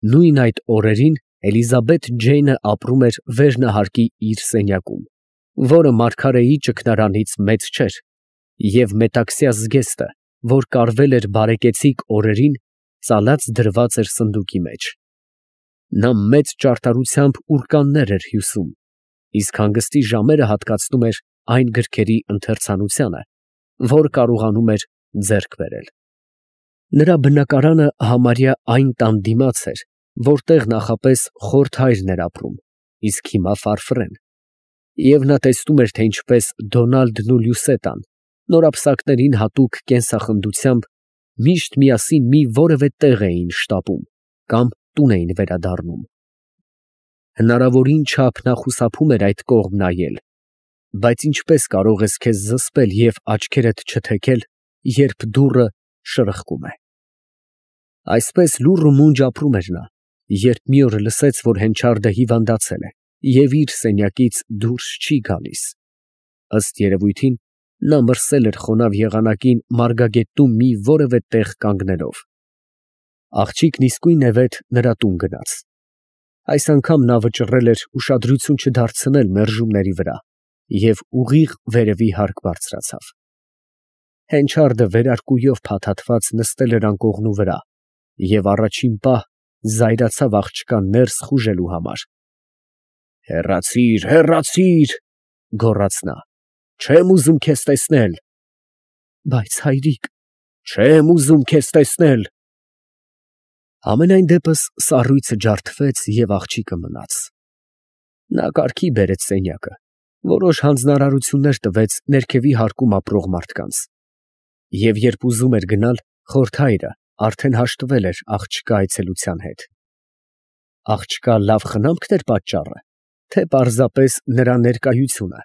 Նույն այդ օրերին Էլիզաբեթ Ջեյնը ապրում էր վերնահարկի իր սենյակում, որը մարգարեի ճգնարանից մեծ չէր, և մետաքսյա զգեստը, որ կարվել էր բարեկեցիկ օրերին, ծալած դրված էր սնդուկի մեջ։ Նա մեծ ճարտարությամբ ուրկաններ էր հյուսում, իսկ հանգստի ժամերը հատկացնում էր այն գրքերի ընթերցանությանը, որ կարողանում էր ձեռք բերել։ Նրա բնակարանը համարյա այն տան դիմաց էր, որտեղ նախապես խորթ հայրն էր ապրում, իսկ հիմա Ֆարֆրեն, և նա տեսնում էր, թե ինչպես Դոնալդն ու Լյուսետան նորապսակներին հատուկ կենսախնդությամբ միշտ միասին մի որևէ տեղ էին շտապում կամ տուն էին վերադառնում։ Հնարավորին չափ նա խուսափում էր այդ կողմ նայել, բայց ինչպես կարող ես քեզ զսպել և աչքերդ չթեքել, երբ դուռը շրխկում է։ Այսպես լուռ ու մունջ ապրում էր նա, երբ մի օր լսեց, որ Հենչարդը հիվանդացել է և իր սենյակից դուրս չի գալիս։ Ըստ երևույթին, նա մրսել էր խոնավ եղանակին մարգագետնում մի որևէ տեղ կանգնելով։ Աղջիկն իսկույնևեթ նրա տուն գնաց։ Այս անգամ նա վճռել էր ուշադրություն չդարձնել մերժումների վրա և ուղիղ վերևի հարկ բարձրացավ։ Հենչարդը վերարկուով փաթաթված նստել էր անկողնու վրա և առաջին պահ զայրացավ աղջկան ներս խուժելու համար։ «Հեռացի՛ր, հեռացի՛ր, ֊ գոռաց նա, ֊ չեմ ուզում քեզ տեսնել»։ «Բայց հայրիկ…» «Չեմ ուզում քեզ տեսնել»։ Համենայն դեպս սառույցը ջարդվեց և աղջիկը մնաց։ Նա կարգի բերեց սենյակը, որոշ հանձնարարություններ տվեց ներքևի հարկում ապրող մարդկանց, և երբ ուզում էր գնալ, խորթ հայրը արդեն հաշտվել էր աղջկա այցելության հետ։ Աղջկա լավ խնամքն էր պատճառը, թե պարզապես նրա ներկայությունը։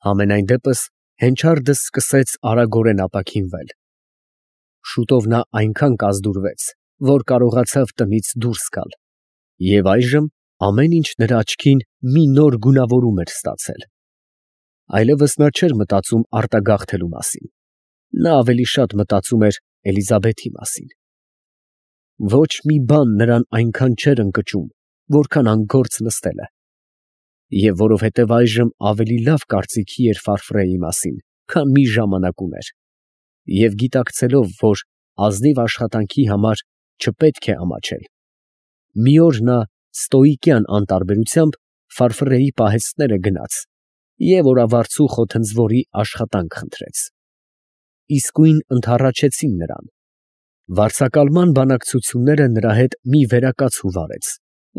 Համենայն դեպս Հենչարդը սկսեց արագորեն ապաքինվել։ Շուտով նա այնքան կազդուրվեց, որ կարողացավ տնից դուրս գալ, և այժմ ամեն ինչ նրա աչքին մի նոր գունավորում էր ստացել։ Այլևս նա չէր մտածում արտագաղթելու մասին, նա ավելի շատ մտածում էր Էլիզաբեթի մասին։ Ոչ մի բան նրան այնքան չէր ընկճում, որքան անգործ նստելը, և որովհետև այժմ ավելի լավ կարծիքի էր Ֆարֆրեի մասին, քան մի ժամանակ ուներ, և գիտակցելով, որ ազնիվ աշխատանքի համար չպետք է ամաչել, մի օր նա ստոիկյան անտարբերությամբ Ֆարֆրեի պահեստները գնաց և օրավարձու խոթնձվորի աշխատանք խնդրեց։ Իսկույն ընդառաջեցին նրան։ Վարձակալման բանակցությունները նրա հետ մի վերակացու վարեց,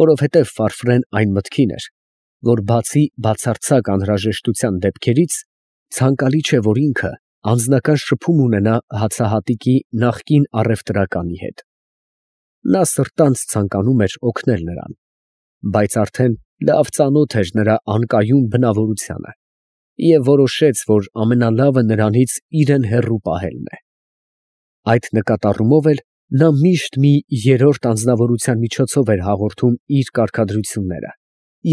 որովհետև Ֆարֆրեն այն մտքին էր, որ բացի բացարձակ անհրաժեշտության դեպքերից, ցանկալի չէ, որ ինքը անձնական շփում ունենա հացահատիկի նախկին առևտրականի հետ։ Նա սրտանց ցանկանում էր օգնել նրան, բայց արդեն լավ ծանոթ էր նրա անկայուն բնավորությանը և որոշեց, որ ամենալավը նրանից իրեն հեռու պահելն է։ Այդ նկատառումով էլ նա միշտ մի երրորդ անձնավորության միջոցով էր հաղորդում իր կարգադրությունները,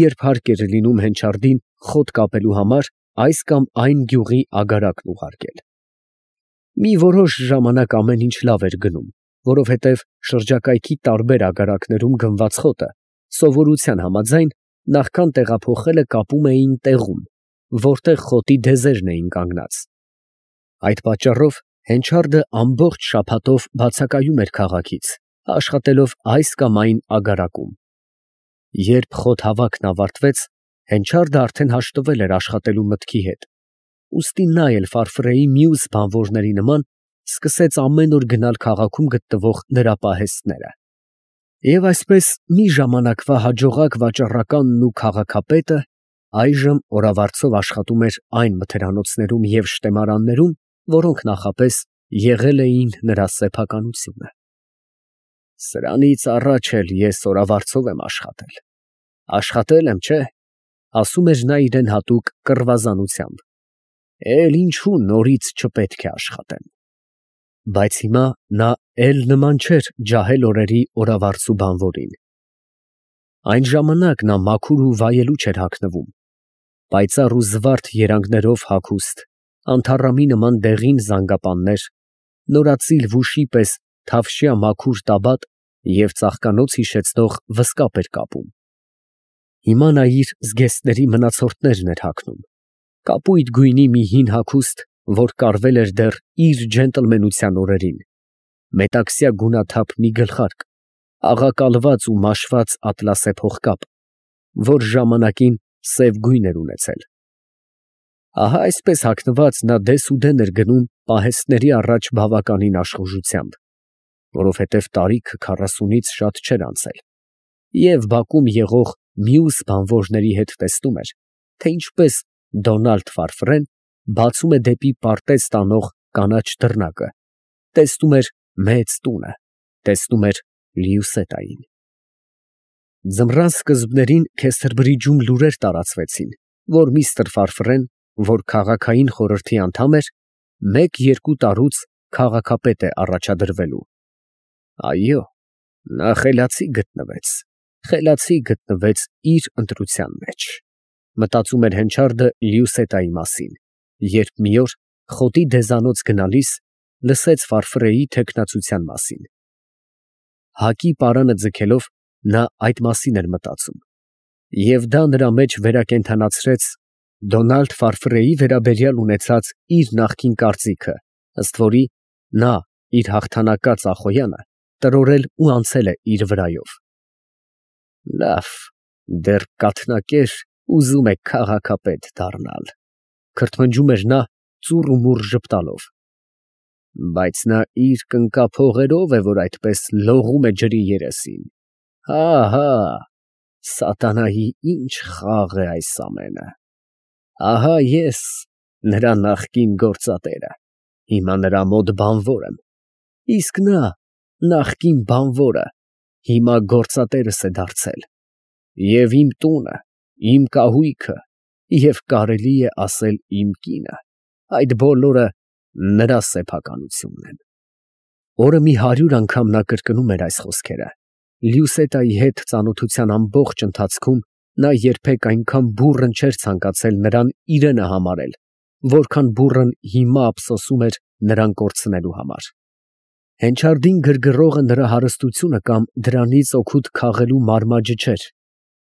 երբ հարկ էր լինում Հենչարդին խոտ կապելու համար այս կամ այն գյուղի ագարակն ուղարկել։ Մի որոշ ժամանակ ամեն ինչ լավ էր գնում, որովհետև շրջակայքի տարբեր ագարակներում գնված խոտը, սովորության համաձայն, նախքան տեղափոխելը կապում էին տեղում, որտեղ խոտի դեզերն էին կանգնած։ Այդ պատճառով Հենչարդը ամբողջ շաբաթով բացակայում էր քաղաքից, աշխատելով այս կամ այն ագարակում։ Երբ խոտ հավաքն ավարտվեց, Հենչարդը արդեն հաշտվել էր աշխատելու մտքի հետ, ուստի նա էլ Ֆարֆրեի մյուս բանվորների նման սկսեց ամեն օր գնալ քաղաքում գտնվող նրա պահեստները։ Եվ այսպես մի ժամանակվա հաջողակ վաճառականն ու քաղաքապետը այժմ օրավարձով աշխատում էր այն մթերանոցներում և շտեմարաններում, որոնք նախապես եղել էին նրա սեփականությունը։ «Սրանից առաջ էլ ես օրավարձով եմ աշխատել, աշխատել եմ, չէ՞, ֊ ասում էր նա իրան հատուկ կռվազանությամբ, ֊ էլ ինչու նորից չպետք է աշխատեմ»։ Բայց հիմա նա էլ նման չէր ջահել օրերի օրավարձու բանվորին։ Այն ժամանակ նա մաքուր ու վայելուչ էր հագնվում, պայծառ ու զվարթ երանգներով հագուստ, անթառամի նման դեղին զանգապաններ, նորածիլ վուշի պես թավշյա մաքուր տաբատ և ծաղկանոց հիշեցնող վզկապ էր կապում։ Հիմա նա իր զգեստների մնացորդներն էր հագնում, կապույտ գույնի մի հին հագուստ, որ կարվել էր դեռ իր ջենտլմենության օրերին, մետաքսյա գունաթափ մի գլխարկ, աղակալված ու մաշված ատլասե փողկապ, որ ժամանակին սև գույն էր ունեցել։ Ահա այսպես հագնված նա դեսուդեն էր գնում պահեստների առաջ բավականին աշխուժությամբ, որովհետև տարիքը 40-ից շատ չէր անցել, և բակում եղող մյուս բանվորների հետ տեսնում էր, թե ինչպես Դոնալդ Ֆարֆրեն բացում է դեպի պարտեզ տանող կանաչ դռնակը, տեսնում էր մեծ տունը, տեսնում էր Լիուսետային։ Ձմռան սկզբներին Քեսթերբրիջում լուրեր տարածվեցին, որ միստր Ֆարֆրեն, որ քաղաքային խորհրդի անդամ էր, 1-2 տարուց քաղաքապետ է առաջադրվելու։ Այո, նա խելացի գտնվեց իր ընտրության մեջ, մտածում էր Հենչարդը Լիուսետայի մասին, երբ մի օր խոտի դեզանոց գնալիս լսեց Ֆարֆրեի թեկնածության մասին։ Հակի պարանը ձգելով նա այդ մասին էր մտածում, և դա նրա մեջ վերակենդանացրեց Դոնալդ Ֆարֆրեի վերաբերյալ ունեցած իր նախկին կարծիքը, ըստ որի նա իր հաղթանակած Ախոյանը տրորել ու անցել է իր վրայով։ Լավ, դեռ կաթնակեր ուզում է քաղաքապետ դառնալ, քրթմնջում էր նա ծուռ ու մուռ ժպտալով, բայց նա իր կնկափողերով է, որ այդպես լողում է ջրի երեսին։ Հա, սատանայի ինչ խաղ է այս ամենը։ Ահա ես նրա նախկին գործատերը, հիմա նրա մոտ բանվոր եմ, իսկ նա նախկին բանվորը հիմա գործատերս է դարձել, և իմ տունը, իմ կահույքը և կարելի է ասել իմ կինը, այդ բոլորը նրա սեփականությունն են։ Օրը մի 100 անգամ նա կրկնում էր այս խոսքերը։ Լիուսետայի հետ ծանոթության ամբողջ ընթացքում նա երբեք այնքան բուռն չէր ցանկացել նրան իրենը համարել, որքան բուռն հիմա ափսոսում էր նրան կորցնելու համար։ Հենչարդին գրգռողը նրա հարստությունը կամ դրանից օգուտ քաղելու մարմաճը չէր,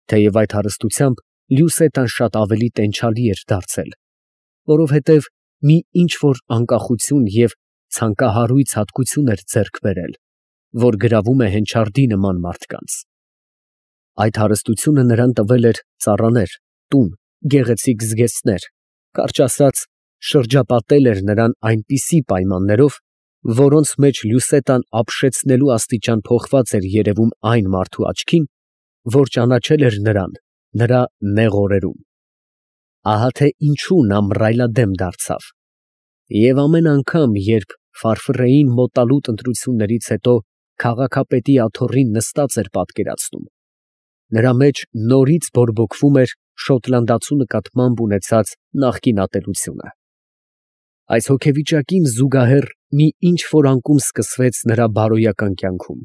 թեև այդ հարստությամբ Լիուսետան շատ ավելի տենչալի էր դարձել, որովհետև մի ինչ֊որ անկախություն և ցանկահարույց հատկություն էր ձեռք բերել, որ գրավում է Հենչարդի նման մարդկանց։ Այդ հարստությունը նրան տվել էր ծառաներ, տուն, գեղեցիկ զգեստներ, կարճ ասած, շրջապատել էր նրան այնպիսի պայմաններով, որոնց մեջ Լյուսետան ապշեցնելու աստիճան փոխված էր երևում այն մարդու աչքին, որ ճանաչել էր նրան նրա նեղ օրերում։ Ահա թե ինչու նա մռայլադեմ դարձավ, և ամեն անգամ, երբ Ֆարֆրեին մոտալուտ ընտրություններից հետո քաղաքապետի աթոռին նստած էր պատկերացնում, նրա մեջ նորից բորբոքվում էր շոտլանդացու նկատմամբ ունեցած նախկին ատելությունը։ Այս հոգեվիճակին զուգահեռ մի ինչ֊որ անկում սկսվեց նրա բարոյական կյանքում։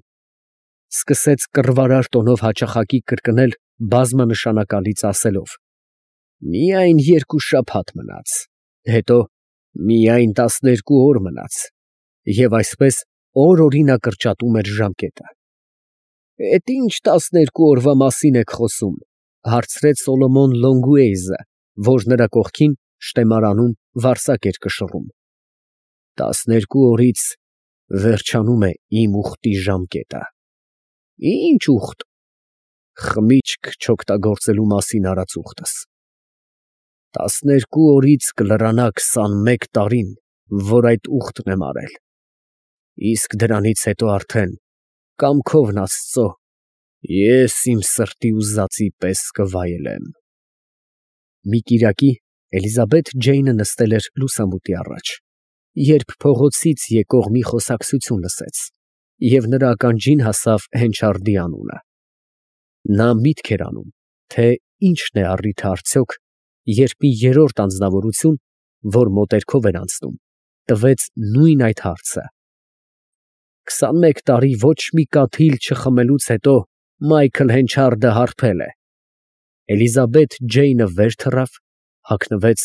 Սկսեց կռվարար տոնով հաճախակի կրկնել բազմանշանակալից ասելով. «Միայն 2 շաբաթ մնաց, հետո միայն 12 օր մնաց», և այսպես օր֊օրի նա կրճատում էր ժամկետը։ «Էդ ի՞նչ 12 օրվա մասին եք խոսում», ֊ հարցրեց Սոլոմոն Լոնգուեյզը, որ նրա կողքին շտեմարանում վարսակ էր կշռում։ «12 օրից վերջանում է իմ ուխտի ժամկետը»։ «Ի՞նչ ուխտ»։ «Խմիչք չօգտագործելու մասին արած ուխտս»։ 12 օրից կլրանա 21 տարին, որ այդ ուխտն եմ արել, իսկ դրանից հետո արդեն, կամքովն Աստծո, ես իմ սրտի ուզածի պես կվայելեմ»։ Մի կիրակի Էլիզաբեթ Ջեյնը նստել էր լուսամուտի առաջ, երբ փողոցից եկող մի խոսակցություն լսեց, և նրա ականջին հասավ Հենչարդի անունը։ Նա միտք էր անում, թե ի՞նչն է առիթը արդյոք, երբ մի երրորդ անձնավորություն, որ մոտերքով էր անցնում, տվեց նույն այդ հարցը։ 21 տարի ոչ մի կաթիլ չխմելուց հետո Մայքլ Հենչարդը հարբել է։ Էլիզաբեթ Ջեյնը վեր թռավ, հագնվեց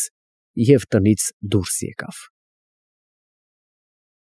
և տնից դուրս եկավ։